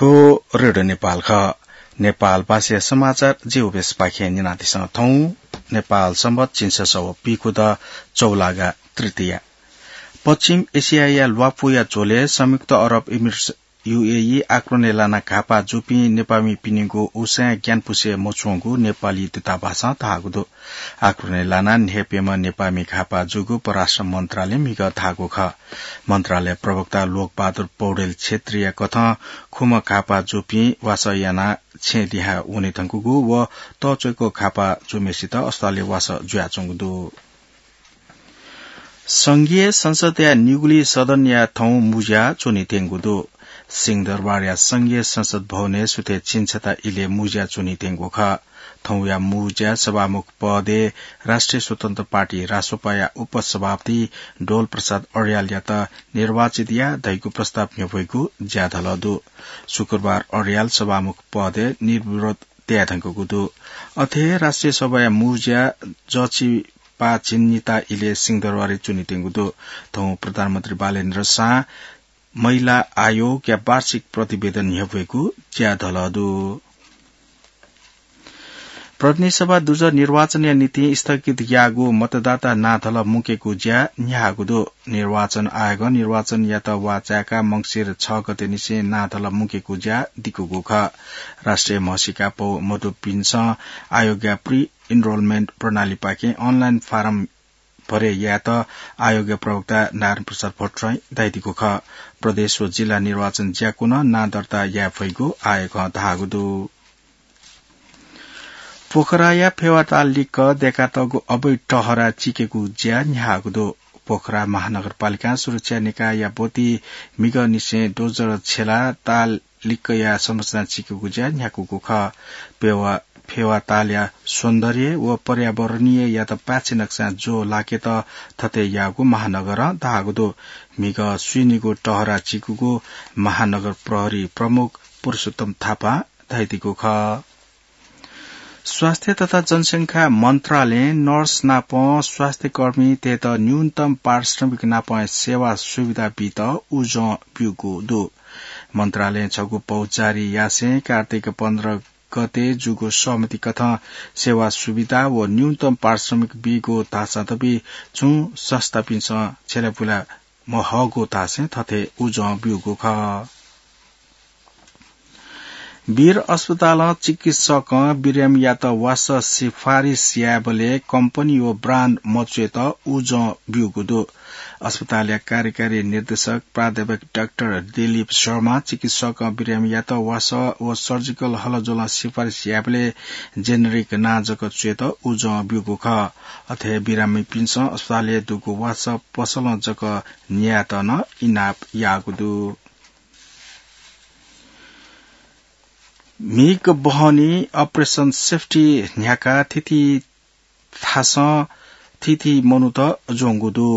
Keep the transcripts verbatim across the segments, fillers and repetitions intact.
थ्व रेडियो नेपाल खः। नेपाल भाषाया समाचार जिउबेसपाखें न्यनादिसँ। थौं नेपाल संवत झिंछसः व पीखुदँ चौलागा तृतीया। पश्चिम एसियाया ल्वापुया झ्वलय् संयुक्त अरब इमिरेट्स, यूएई, आक्रमणय् लानाः घाःपाः जूपिं नेपाःमिपिनिगु उसाँय् ग्यानापुसे मछ्वंगु नेपाली दूतावासं धाःगु दु। आक्रमणय् लानाः न्हय्प्यम्ह नेपाःमि घाःपाः जूगु परराष्ट्र मन्त्रालयं म्हिगः धाःगु खः। मन्त्रालय प्रवक्ता लोकबहादुर पौडेल क्षेत्रीया कथं खुम्ह घाःपाः जूपिं वासः यानाः छेँ लिहां वने धुंकूगु व तःच्वय्क घाःपाः जूम्हय्सित अस्पतालय् वासः जुयाच्वंगु दु। संघीय संसदया निगुलिं सदनया थौं मुँज्या च्वनीत्यंगु दु। सिंहदरबारया संघीय संसद भवनय् सुथय् झिंछता इलय् मुँज्या च्वनीत्यंगु खः। थौंया मुँज्या सभामुख पदय् राष्ट्रिय स्वतन्त्र पार्टी, रासोपाया उपसभापति डोल प्रसाद अर्यालयात निर्वाचित या धइगु प्रस्ताव न्ह्यब्वइगु ज्याधलः दु। शुक्रबार अर्याल सभामुख पदय् निर्विरोध तयाधुंकूगु दु। अथे हे राष्ट्रिय सभाया मुँज्या जःचिपा झिंनिता इलय् सिंहदरबारय् च्वनीत्यंगु दु। थौं प्रधानमन्त्री बालेन्द्र शाहं महिला आयोगया वार्षिक प्रतिवेदन न्ह्यब्वइगु ज्याधलः दु। प्रतिनिधि सभा दुजः निर्वाचनया निंतिं स्थगित याःगु मतदाता नांधलः मुंकेगु ज्या न्ह्याःगु दु। निर्वाचन आयोगं निर्वाचनयात वाःचाय्काः मंसिर छ गतेनिसें नांधलः मुंकेगु ज्या दिकूगु खः। राष्ट्रिय म्हसीका पौ मदुपिन्सं आयोगया pre enrollment प्रणालीपाखें online form भरे यायेत आयोगया प्रवक्ता नारायण प्रसाद भट्टराईं धयादीगु खः। प्रदेश व जिल्ला निर्वाचन ज्याकूनं नां दर्ता याये फइगु आयोगं धाःगु दु। पोखराया फेवाताल लिक्क दय्कातःगु अवैध टहरा चिकेगु ज्या न्ह्याःगु दु। पोखरा महानगरपालिकां सुरक्षा निकायया ब्वति म्हिगःनिसें डोजर छ्यलाः ताल लिक्कया संरचना चिकेगु ज्या न्ह्याकूगु खः। पेवा-, फेवातालया सौन्दर्य व पर्यावरणीययात पाय्छि नकसां ज्वः लाकेत थथे याःगु महानगरं धाःगु दु। म्हिगः स्वीनिगू टहरा चिकूगु महानगर प्रहरी प्रमुख पुरुषोत्तम थापां धयादीगु खः। स्वास्थ्य तथा जनसंख्या मन्त्रालयं नर्स नाप स्वास्थ्यकर्मीतय्त न्यूनतम पारिश्रमिक नाप सेवा सुविधा बीत उजं ब्यूगु दु। मन्त्रालयं छगू पौ जारी यासें कार्तिक पन्ध्र गते जूगु सहमति कथं सेवा सुविधा व न्यूनतम पारिश्रमिक बीगु धाःसा दबी छुं संस्थापिन्सं छ्यलापुला महःगु धासें थथे उजं ब्यूगु खः। वीर अस्पतालं चिकित्सकं बिरामीयात वासः सिफारिस यायेबलय् कम्पनी व ब्रान्ड मच्वयेत उजं ब्यूगु दु। अस्पतालया कार्यकारी निर्देशक प्राध्यापक डाक्टर दिलीप शर्मा चिकित्सकं बिरामीयात वासः व सर्जिकल हलज्वलं सिफारिस यायेबलय् जेनेरिक नां जक च्वयेत उजं ब्यूगु खः। अथे बिरामीपिन्सं अस्पतालय् दुगु वासः पसलं जक न्यायेत नं इनाप याःगु दु। म्हिगः बहनी Operation Safety न्ह्याकाः थीथी थासं थीथी मनूत ज्वंगु दु।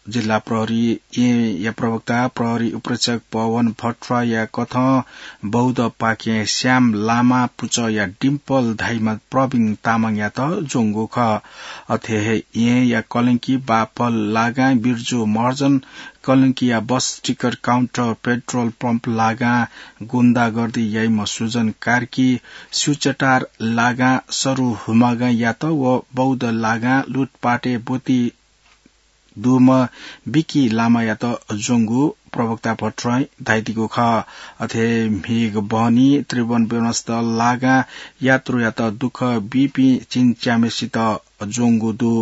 जिल्ला प्रहरी येँया प्रवक्ता प्रहरी उपरीक्षक पवन भट्टराईया कथं बौद्धपाखें श्याम लामा पुचःया डिम्पल धाइम्ह प्रवीण तामाङयात ज्वंगु खः। अथे हे येँया कलंकी बापल लागां बिर्जु महर्जन, कलंकीया बस टिकट काउन्टर, पेट्रोल पम्प लागां गुण्डागर्दी याइम्ह सुजन कार्की, स्युचटार लागां सरु हुमागांयात व बौद्ध लागां लुटपाटय् ब्वति दुम्ह बिकी लामायात ज्वंगु प्रवक्ता भट्टराईं धयादीगु खः। अथे म्हिगः बहनी त्रिभुवन विमानस्थल लागां यात्रुयात दुःख बीपिं झिंच्याम्हेसित ज्वंगु दु।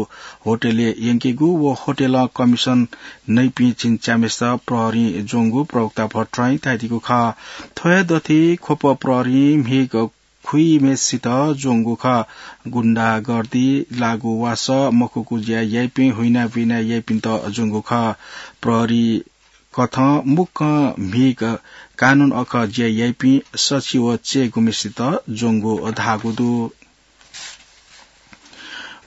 होटलय् यंकेगु व होटलं कमिसन नइपिं झिंच्याम्हेसित प्रहरीं ज्वंगु प्रवक्ता भट्टराईं धयादीगु खः। थ्व हे दथुइ ख्वप प्रहरीं म्हिगः खुइम्हेसित ज्वंगु खः। गुण्डागर्दी, लागू वासः, मखुगु ज्या याइपिं, हुइनाबुइना याइपिन्त ज्वंगु खः। प्रहरी कथं मुक्कं म्हिगः कानून अखः ज्या याइपिं सछि व च्यय्गुम्हेसित ज्वंगु धाःगु दु।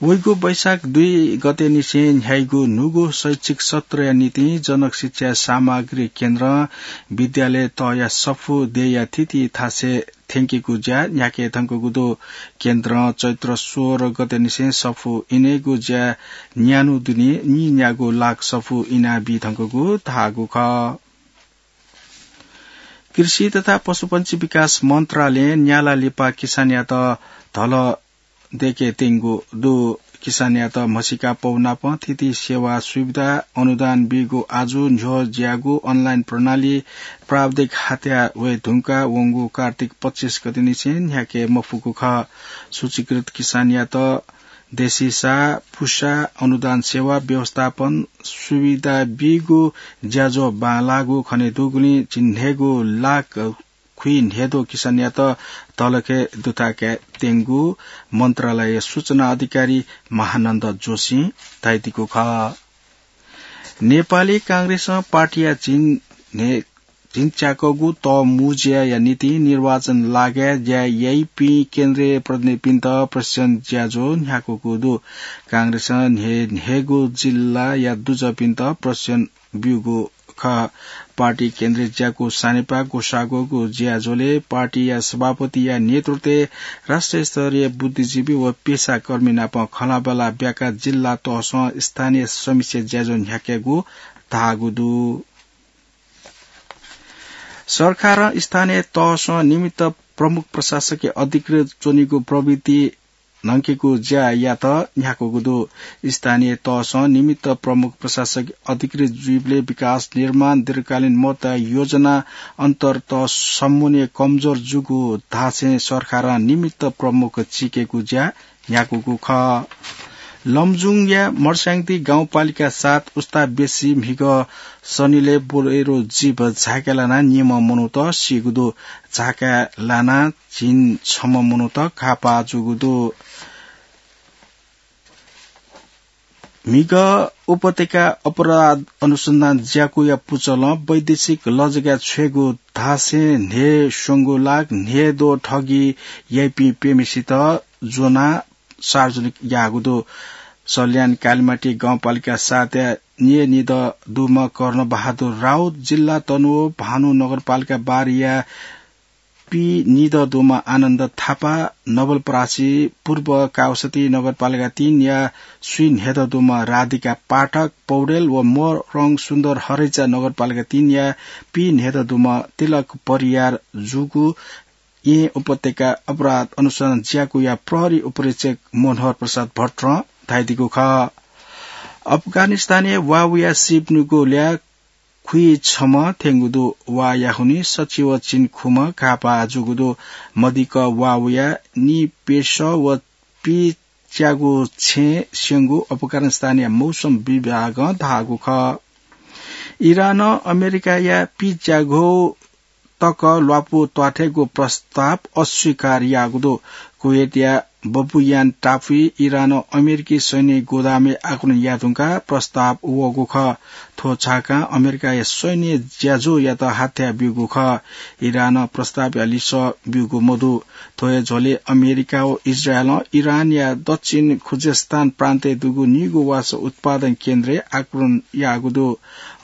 वइगु वैशाख दुई गतेनिसें न्ह्याइगु न्हूगु शैक्षिक सत्रया निंतिं जनक शिक्षा सामग्री केन्द्रं विद्यालय तःया सफू देय्या थीथी थासय् थ्यंकेगु ज्या न्ह्याके धुंकूगु दु। केन्द्रं चैत्र सोह्र गतेनिसें सफू इनेगु ज्या न्यान्हु दुने नीन्यागू लाख सफू इनाबी धुंकूगु धाःगु खः। कृषि तथा पशुपन्छी विकास मन्त्रालयं न्याला लिपा किसानयात धल देके त्यंगु दु। किसानयात म्हसीका पौ नाप थीथी सेवा सुविधा अनुदान बीगु आजु न्ह्यः ज्याःगु अनलाइन प्रणाली प्राविधिक हात्या वये धुंका वंगु कार्तिक पच्चीस गते निसें न्ह्याके मफुगु खः। सूचीकृत किसानयात देशीसा पुसा अनुदान सेवा व्यवस्थापन सुविधा बीगु ज्याझ्वः बांलाःगु खने दुगुलिं झिंन्हय्गू लाख खुइन्हय्द्वः किसानयात तलखे दुथाय् त्यंगु मन्त्रालय सूचना अधिकारी महानन्द जोशीं धयादीगु खः। नेपाली कांग्रेसं पार्टीया झिंन्हय् झिंच्याकःगु तःमुँज्याया निंतिं निर्वाचन लागाय् ज्या याइपिं केन्द्रीय प्रतिनिधिपिन्त प्रशिक्षण ज्याझ्वः न्ह्याकूगु दु। कांग्रेसं न्हय्न्हय्गू जिल्लाया दुजःपिन्त प्रशिक्षण ब्यूगु खः। पार्टी केन्द्रीय ज्याकू सानेपा ग्वसाःग्वःगु ज्याझ्वलय् पार्टीया सभापतिया नेतृत्वय् राष्ट्रिय स्तरीय बुद्धिजीवी व पेसाकर्मी नाप खँल्हाबल्हा ब्याकाः जिल्ला तहसं स्थानीय समिक्षा ज्याझ्वः न्ह्याकेगु धाःगु दु। सरकारं स्थानीय तहसं निमित्त प्रमुख प्रशासकया अधिकृत च्वनीगु प्रवृत्ति न्हंकेगु ज्यायात न्ह्याकूगु दु। स्थानीय तहसं निमित्त प्रमुख प्रशासक अधिकृत जुइबलय् विकास निर्माण दीर्घकालीन महत्त्वया योजना अन्तर्गत समन्वय कमजोर जूगु धासें सरकारं निमित्त प्रमुख चीकेगु ज्या न्ह्याकूगु खः। लमजुङया मर्स्याङदी गाउँपालिका सात उस्ता बेसी म्हिगः सनिलय् बोलेरो जीप झाय्काय् लानाः निम्ह मनूत सीगु दु। झाय्काय् लानाः झिंछम्ह मनूत घाःपाः जूगु दु। म्हिगः उपत्यका अपराध अनुसन्धान ज्याकुया पुचलं वैदेशिक लजगाय् छ्वयेगु धासें न्हय् स्यंगु लाख न्हय्द्वः ठगी याइपिं प्यम्हेसित ज्वनाः सार्वजनिक याःगु दु। सल्यान कालिमाटी गाउँपालिका सातया न्यय्निदँ दुम्ह कर्णबहादुर राउत, जिल्ला तनहुँ भानु नगरपालिका बाह्रया पीनिदँ दुम्ह आनन्द थापा, नवलपरासी पूर्व कावसती नगरपालिका तीनया स्वीन्हय्दँ दुम्ह राधिका पाठक पौडेल व मोरङ सुन्दर हरैचा नगरपालिका तीनया पीन्हय्दँ दुम्ह तिलक परियार जूगु येँ उपत्यका अपराध अनुसन्धान ज्याकुया प्रहरी उपरीक्षक मनोहर प्रसाद भट्टरं धयादीगु खः। अफगानिस्तानय् वाःवया सीप निगू ल्याः खुइछम्ह थ्यंगु दु। वाःया हुनिं सछि व झिंखुम्ह घाःपाः जूगु दु। मदिक्क वाःवया निपेश व पीच्यागू छेँ स्यंगु अफगानिस्तानया मौसम विभागं धाःगु खः। इरानं अमेरिकाया पीच्यागू तक ल्वापु त्वाथयेगु प्रस्ताव अस्वीकार याःगु दु। कुवेतया बबुयान टापुइ इरानं अमेरिकी सैन्य गोदामय् आक्रमण याये धुंकाः प्रस्ताव वःगु खः। थ्व छाकां अमेरिकाया सैन्य ज्याझ्वःयात हाथ्या ब्यूगु खः। इरानं प्रस्तावया लिसः ब्यूगु मदु। थ्व हे झ्वलय् अमेरिका व इजरायलं इरानया दक्षिण खुजेस्तान प्रान्तय् दुगु निगू वासः उत्पादन केन्द्रय् आक्रमण याःगु दु।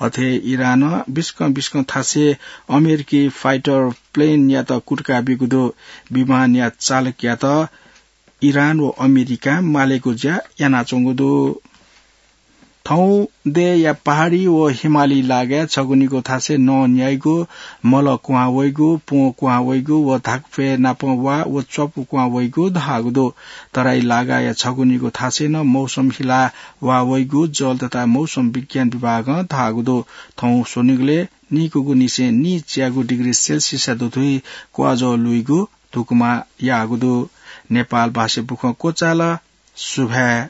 अथे इरानं बिस्कं बिस्कं थासय् अमेरिकी फाइटर प्लेनयात कुतुका ब्यूगु दु। विमानया चालकयात इरान व अमेरिकां मालेगु ज्या यानाच्वंगु दु। थौं देय्‌या पहाडी व हिमाली लागाय् छगू निगू थासय् नं न्याइगु, मल क्वहां वइगु, प्वँ क्वहां वइगु व धाकुफय् नाप वा व च्वापु क्वहां वइगु धाःगु दु। तराई लागाया छगू निगू थासय् नं मौसम हिला वा वइगु जल तथा मौसम विज्ञान विभागं धाःगु दु। थौं स्वनिगलय् निकूगु निसें नीच्यागू डिग्री सेल्सियसया दुथुइ क्वाःजः लुइगु धुकुमा याःगु दु। नेपाल भाषा बुखँ क्वचाल। सुभाय्।